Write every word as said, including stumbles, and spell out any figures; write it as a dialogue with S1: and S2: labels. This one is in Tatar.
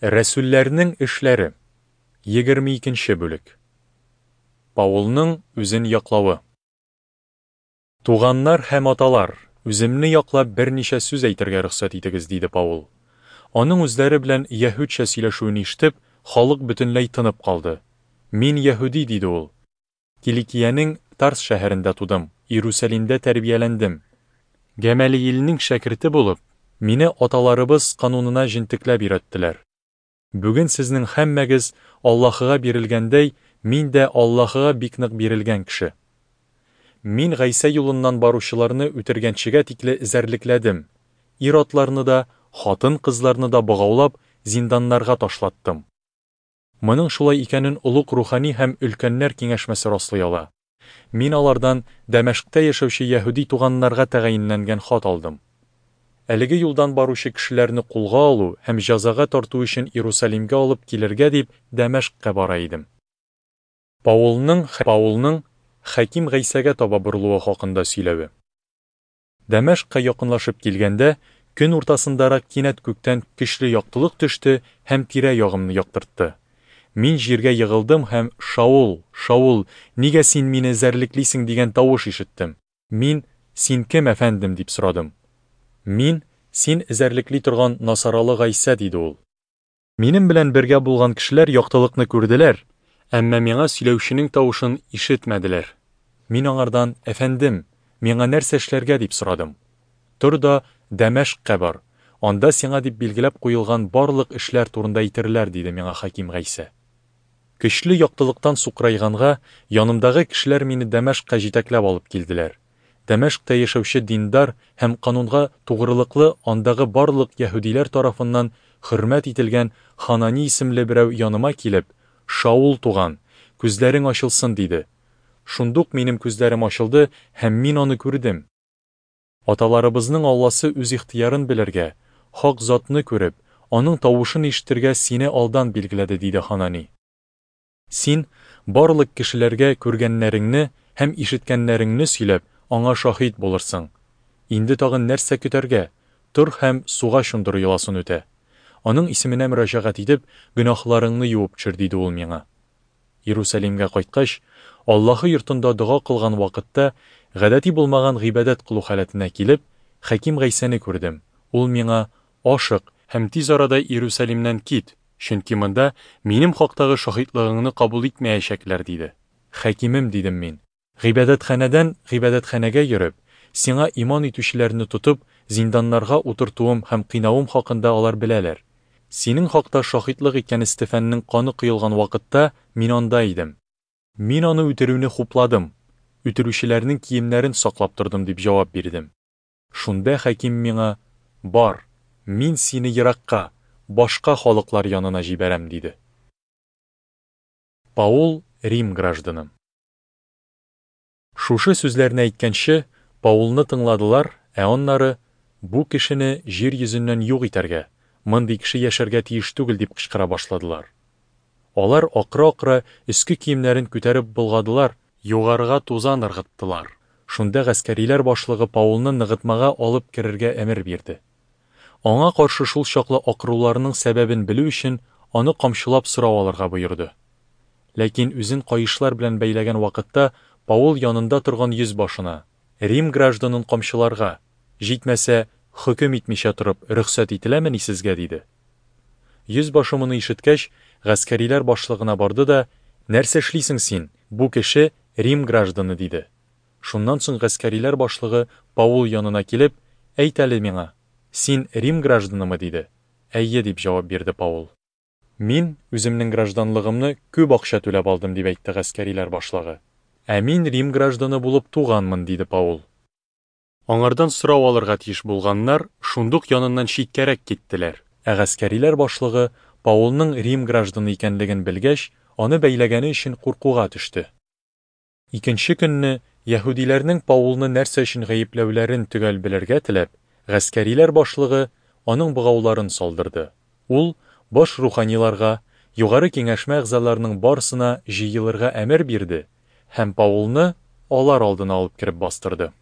S1: Рәсүлләрнең эшләре. Егерме икенче бүлек. Паулның үзен яклавы. Туганнар һәм аталар, үземне яклап берничә сүз әйтергә рөхсәт итегез, диде Паул. Аның үзләре белән яһүдчә сөйләшүен ишетеп, халык бөтенләй тынып калды. Мин яһүди, диде ул. Киликиянең Тарс шәһәрендә тудым, Иерусалимдә тәрбияләндем. Гәмәлиилнең шәкерте булып, мине аталарыбыз канунына җентекләп өйрәттеләр. Бүген сезнең һәммәгез Аллаһыга бирелгәндәй, мин дә Аллаһыга бик нык бирелгән кеше. Мин Гайсә юлыннан баручыларны үтергәнчегә тикле эзәрлекләдем, ир-атларны да, хатын-кызларны да богаулап, зинданнарга ташлаттым. Моның шулай икәнен олуг рухани һәм өлкәннәр киңәшмәсе раслый ала. Мин алардан Дәмәшкътә яшәүче яһүди туганнарга тәгаенләнгән хат алдым. Әлеге юлдан баручы кешеләрне кулга алу һәм җәзага тарту өчен Иерусалимгә алып килергә дип Дәмәшкъка бара идем. Паулның Паулның Хәким Гайсәгә таба борылуы хакында сөйләве. Дәмәшкъка якынлашып килгәндә, көн уртасындарак кинәт күктән көчле яктылык төште һәм тирә-ягымны яктыртты. Мин җиргә егылдым һәм Шаул, Шаул, нигә син мине эзәрлеклисең дигән тавыш ишеттем. Мин: Син кем, әфәндем? дип сорадым. Мин, син эзәрлекли торган Насаралы Гайсә, диде ул. Минем белән бергә булган кешеләр яктылыкны күрделәр, әмма миңа сөйләүченең тавышын ишетмәделәр. Мин аңардан: Әфәндем, миңа нәрсә эшләргә? дип сорадым. Тор да Дәмәшкъка бар, анда сиңа дип билгеләп куелган барлык эшләр турында әйтерләр, диде миңа Хаким Гайсә. Көчле яктылыктан сукрайганга, янымдагы кешеләр мине Дәмәшкъка җитәкләп алып килделәр. Дәмәшкътә яшәүче диндар һәм канунга тугрылыклы андагы барлык яһүдиләр тарафыннан хөрмәт ителгән Ханани исемле берәү яныма килеп, Шаул туган, күзләрең ачылсын, диде. Шундук минем күзләрем ачылды һәм мин аны күрдем. Аталарыбызның Алласы үз ихтыярын белергә, хак затны күреп, аның тавышын ишетергә сине алдан билгеләде, диде Ханани. Син барлык кешеләргә күргәннәреңне һәм ишеткәннәреңне сөйләп, аңа шаһит булырсың. Инде тагын нәрсә көтәргә? Тор һәм суга чумдыру йоласын үтә. Аның исеменә мөрәҗәгать итеп, гөнаһларыңны юып төшер, диде ул миңа. Иерусалимгә кайткач, Аллаһы йортында дога кылган вакытта, гадәти булмаган гыйбадәт кылу халәтенә килеп, Хаким Гайсәне күрдем. Ул миңа: Ашык һәм тиз арада Иерусалимнән кит, чөнки монда минем хактагы шаһитлыгыңны кабул итмәячәкләр, диде. Хакимем, дидем мин, гыйбадәтханәдән гыйбадәтханәгә йөреп, сиңа иман итүчеләрне тотып, зинданнарга утыртуым һәм кыйнавым хакында алар беләләр. Синең хакта шаһитлык иткән Стефанның каны коелган вакытта мин анда идем. Мин аны үтерүне хупладым, үтерүчеләрнең киемнәрен саклап тордым, дип җавап бирдем. Шунда хаким миңа: Бар, мин сине еракка, башка халыклар янына җибәрәм, диде. Паул Рим гражданы. Шушы сүзләрне әйткәнче, Паулны тыңладылар, ә аннары: Бу кешене җир йөзеннән юк итәргә, мондый кеше яшәргә тиеш түгел, дип кычкыра башладылар. Алар акыра-акыра өске киемнәрен күтәреп болгадылар, югарыга тузан ыргыттылар. Шунда гаскәриләр башлыгы Паулны ныгытмага алып керергә әмер бирде. Аңа каршы шул чаклы акыруларының сәбәбен белү өчен аны камчылап сорау алырга боерды. Ләкин үзен каешлар белән бәйләгән вакытта Паул янында торган йөзбашына: Рим гражданын камчыларга, җитмәсә, хөкем итмичә торып, рөхсәт ителәмени сезгә, диде. Йөзбашы моны ишеткәч, гаскәриләр башлыгына барды да: Нәрсә эшлисең син? Бу кеше Рим гражданы, диде. Шуннан соң гаскәриләр башлыгы Паул янына килеп: Әйт әле миңа, син Рим гражданымы, диде. Әйе, дип җавап бирде Паул. Мин үземнең гражданлыгымны күп акча түләп алдым, дип әйтте гаскәриләр башлыгы. Ә мин Рим гражданы булып туганмын, диде Паул. Аңардан сорау алырга тиеш булганнар шундук яныннан читкәрәк киттеләр. Ә гаскәриләр башлыгы Паулның Рим гражданы икәнлеген белгәч, аны бәйләгәне өчен куркуга төште. Икенче көнне яһүдиләрнең Паулны нәрсә өчен гаепләүләрен төгәл белергә теләп, гаскәриләр башлыгы аның богауларын салдырды. Ул баш руханиларга, югары киңәшмә әгъзаларының барысына җыелырга әмер бирде һәм Паулны алар алдына алып кереп бастырды.